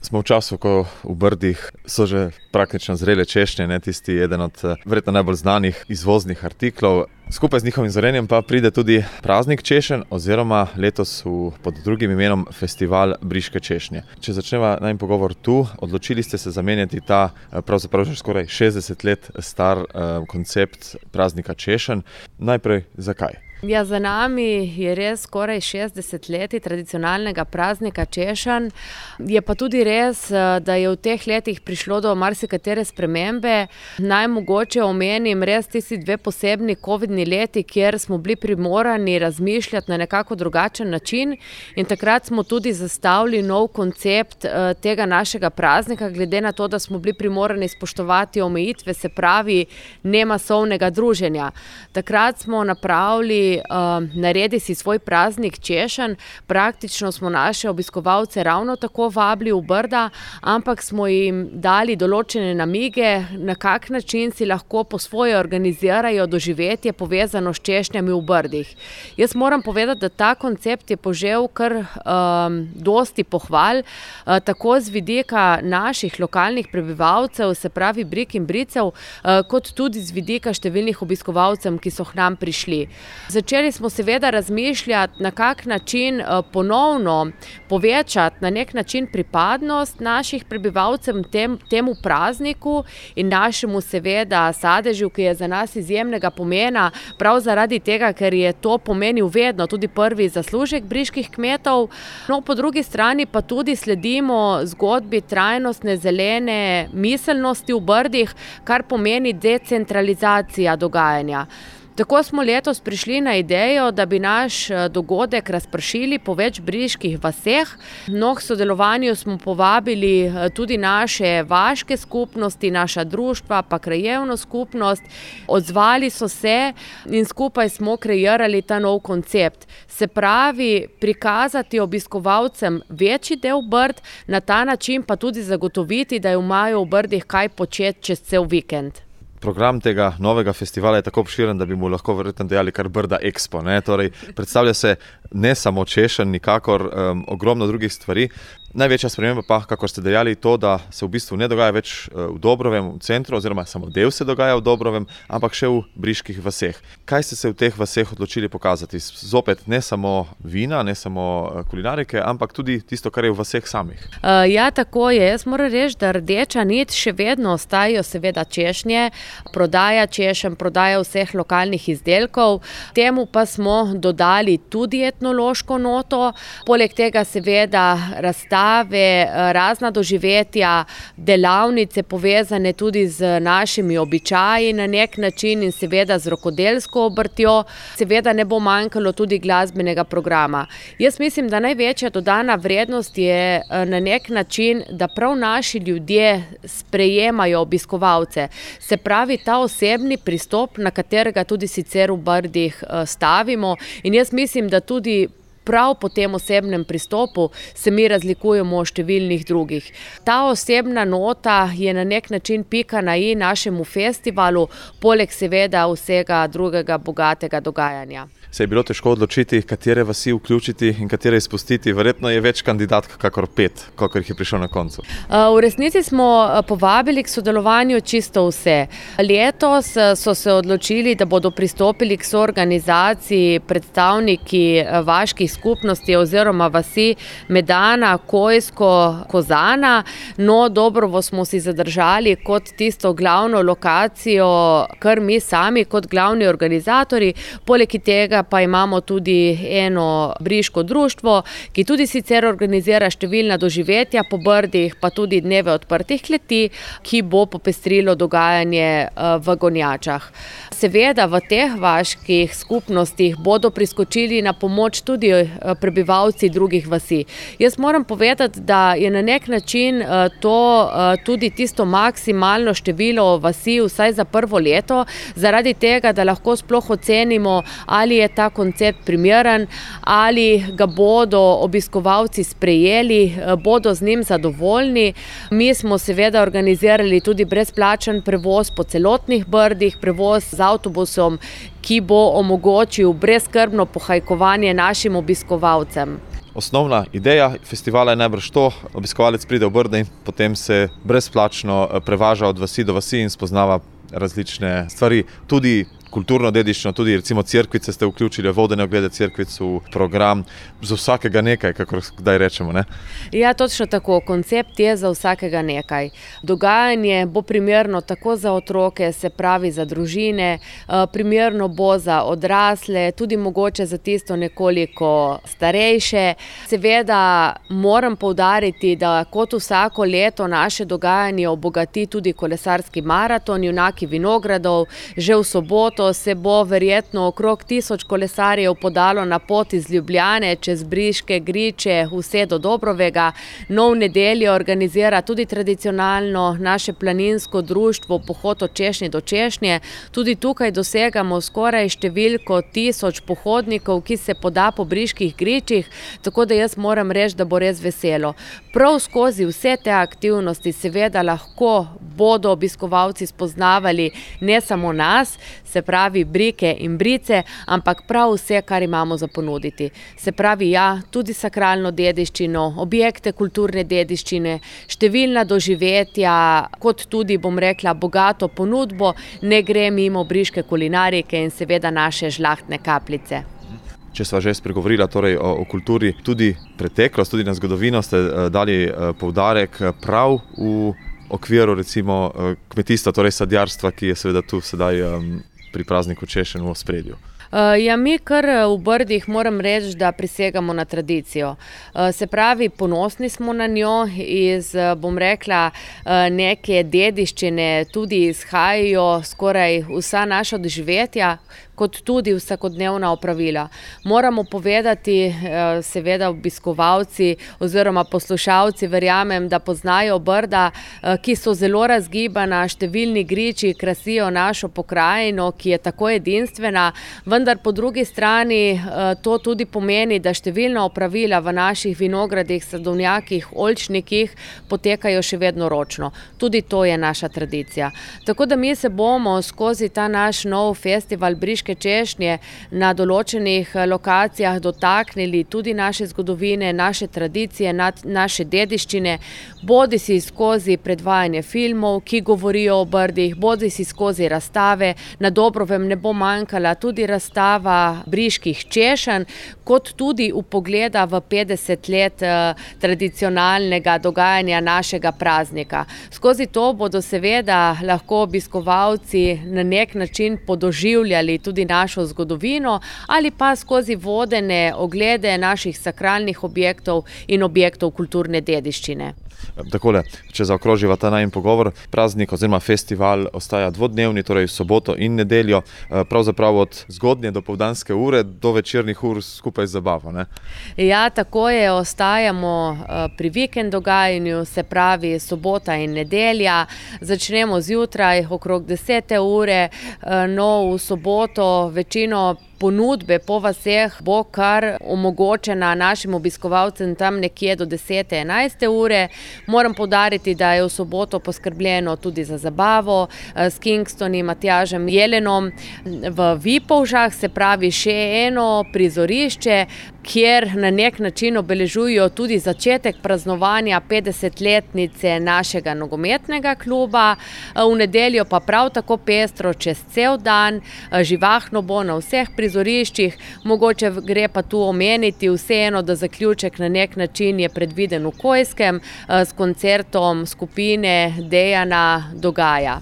Smo v času, ko v Brdih so že praktično zrele češnje, tisti eden od verjetno najbolj znanih izvoznih artiklov. Skupaj z njihovim zorenjem pa pride tudi praznik češenj oziroma letos pod drugim imenom Festival briške češnje. Če začneva najin pogovor tu, odločili ste se zamenjati ta pravzaprav že skoraj 60 let star koncept praznika češenj. Najprej zakaj? Ja, za nami je res skoraj 60 leti tradicionalnega praznika češenj. Je pa tudi res, da je v teh letih prišlo do marsikatere spremembe. Naj mogoče omenim res tisti dve posebni covidni leti, kjer smo bili primorani razmišljati na nekako drugačen način in takrat smo tudi zastavili nov koncept tega našega praznika, glede na to, da smo bili primorani spoštovati omejitve, se pravi nemasovnega druženja. Takrat smo naredi si svoj praznik češenj, praktično smo naše obiskovalce ravno tako vabili v Brda, ampak smo jim dali določene namige, na kak način si lahko po svoje organizirajo doživetje povezano s češnjami v Brdih. Jaz moram povedati, da ta koncept je požel kar dosti pohval, tako z vidika naših lokalnih prebivalcev, se pravi Brik in Bricev, kot tudi z vidika številnih obiskovalcev, ki so k nam prišli. Začeli smo seveda razmišljati, na kak način ponovno povečati na nek način pripadnost naših prebivalcev temu prazniku in našemu seveda sadežu, ki je za nas izjemnega pomena, prav zaradi tega, ker je to pomenil vedno tudi prvi zaslužek briških kmetov. No, po drugi strani pa tudi sledimo zgodbi trajnostne zelene miselnosti v Brdih, kar pomeni decentralizacija dogajanja. Tako smo letos prišli na idejo, da bi naš dogodek razpršili po več briških vaseh. No, k sodelovanju smo povabili tudi naše vaške skupnosti, naša društva, pa krajevno skupnost. Odzvali so se in skupaj smo kreirali ta nov koncept. Se pravi, prikazati obiskovalcem večji del Brd, na ta način pa tudi zagotoviti, da imajo v Brdih kaj početi čez cel vikend. Program tega novega festivala je tako obširen, da bi mu lahko verjetno dejali kar Brda Expo. Torej, predstavlja se ne samo češenj, nikakor ogromno drugih stvari. Največja sprememba pa, kakor ste dejali, to, da se v bistvu ne dogaja več v Dobrovem, v centru, oziroma samo del se dogaja v Dobrovem, ampak še v briških vaseh. Kaj ste se v teh vaseh odločili pokazati? Zopet ne samo vina, ne samo kulinarike, ampak tudi tisto, kar je v vaseh samih. Ja, tako je. Jaz moram reči, da rdeča nit še vedno ostajajo seveda češnje, prodaja češenj, prodaja vseh lokalnih izdelkov. Temu pa smo dodali tudi etnološko noto, poleg tega seveda razstave, razna doživetja, delavnice povezane tudi z našimi običaji na nek način in seveda z rokodelsko obrtjo. Seveda ne bo manjkalo tudi glasbenega programa. Jaz mislim, da največja dodana vrednost je na nek način, da prav naši ljudje sprejemajo obiskovalce. Se pravi, ta osebni pristop, na katerega tudi sicer v Brdih stavimo, in jaz mislim, da tudi prav po tem osebnem pristopu se mi razlikujemo od številnih drugih. Ta osebna nota je na nek način pika na i našemu festivalu, poleg seveda vsega drugega bogatega dogajanja. Se je bilo težko odločiti, katere vasi vključiti in katere izpustiti? Verjetno je več kandidatk kakor 5, kolikor jih je prišlo na koncu. V resnici smo povabili k sodelovanju čisto vse. Letos so se odločili, da bodo pristopili k soorganizaciji predstavniki vaških skupnosti oziroma vasi Medana, Kojsko, Kozana. No, Dobrovo smo si zadržali kot tisto glavno lokacijo, kar mi sami kot glavni organizatori. Poleg tega pa imamo tudi eno briško društvo, ki tudi sicer organizira številna doživetja po Brdih, pa tudi dneve odprtih kleti, ki bo popestrilo dogajanje v Gonjačah. Seveda v teh vaških skupnostih bodo priskočili na pomoč tudi prebivalci drugih vasi. Jaz moram povedati, da je na nek način to tudi tisto maksimalno število vasi, vsaj za prvo leto, zaradi tega, da lahko sploh ocenimo, ali je ta koncept primeren, ali ga bodo obiskovalci sprejeli, bodo z njim zadovoljni. Mi smo seveda organizirali tudi brezplačen prevoz po celotnih Brdih, prevoz z avtobusom, ki bo omogočil brezskrbno pohajkovanje našim obiskovalcem. osnovna ideja festivala je najbrž to, obiskovalec pride v Brda in potem se brezplačno prevaža od vasi do vasi in spoznava različne stvari, tudi kulturno dediščino, tudi recimo cerkvice ste vključili, vodene oglede cerkvic v program, za vsakega nekaj, kakor kdaj rečemo, ne? Ja, točno tako. Koncept je za vsakega nekaj. Dogajanje bo primerno tako za otroke, se pravi za družine, primerno bo za odrasle, tudi mogoče za tisto nekoliko starejše. Seveda moram poudariti, da kot vsako leto naše dogajanje obogati tudi kolesarski maraton Junaki vinogradov. Že v soboto se bo verjetno okrog 1000 kolesarjev podalo na pot iz Ljubljane čez Briške, Griče, vse do Dobrovega. No, v nedeljo organizira tudi tradicionalno naše planinsko društvo Pohod od češnje do češnje. Tudi tukaj dosegamo skoraj številko 1000 pohodnikov, ki se poda po Briških gričih, tako da jaz moram reči, da bo res veselo. Prav skozi vse te aktivnosti seveda lahko bodo obiskovalci spoznavali ne samo nas, se pravi brike in brice, ampak prav vse, kar imamo za ponuditi. Se pravi, ja, tudi sakralno dediščino, objekte kulturne dediščine, številna doživetja, kot tudi, bom rekla, bogato ponudbo, ne gre mimo briške kulinarike in seveda naše žlahtne kapljice. Če sva že spregovorila torej o kulturi, tudi preteklost, tudi na zgodovino ste dali poudarek prav v okviru recimo kmetijstva, torej sadjarstva, ki je seveda tu sedaj pri prazniku češenj v ospredju. Ja, mi kar v Brdih moram reči, da prisegamo na tradicijo. Se pravi, ponosni smo na njo, iz, bom rekla, neke dediščine tudi izhajajo skoraj vsa naša doživetja, kot tudi vsakodnevna opravila. Moramo povedati, seveda obiskovalci oziroma poslušalci, verjamem, da poznajo Brda, ki so zelo razgibana, številni griči krasijo našo pokrajino, ki je tako edinstvena, vendar po drugi strani to tudi pomeni, da številna opravila v naših vinogradih, sadovnjakih, oljčnikih potekajo še vedno ročno. Tudi to je naša tradicija. Tako da mi se bomo skozi ta naš nov festival Briške češnje na določenih lokacijah dotaknili tudi naše zgodovine, naše tradicije, naše dediščine, bodisi skozi predvajanje filmov, ki govorijo o Brdih, bodisi skozi razstave. Na Dobrovem ne bo manjkala tudi razstava briških češenj, kot tudi vpogleda v 50 let tradicionalnega dogajanja našega praznika. Skozi to bodo seveda lahko obiskovalci na nek način podoživljali tudi našo zgodovino ali pa skozi vodene oglede naših sakralnih objektov in objektov kulturne dediščine. Takole, če zaokroživa ta najin pogovor, praznik oziroma festival ostaja dvodnevni, torej soboto in nedeljo, pravzaprav od zgodnje dopoldanske ure do večernih ur skupaj z zabavo, ne? Ja, tako je, ostajamo pri vikend dogajanju, se pravi sobota in nedelja. Začnemo zjutraj okrog 10. ure, no v soboto večino ponudbe po vaseh bo kar omogočena našim obiskovalcem tam nekje do 10. 11. ure. Moram poudariti, da je v soboto poskrbljeno tudi za zabavo s Kingstoni, Matjažem Jelenom v Vipolžah, se pravi še eno prizorišče, kjer na nek način obeležujejo tudi začetek praznovanja 50-letnice našega nogometnega kluba. V nedeljo pa prav tako pestro čez cel dan, živahno bo na vseh prizoriščih, mogoče gre pa tu omeniti vseeno, da zaključek na nek način je predviden v Kojskem s koncertom skupine Dejana Dogaja.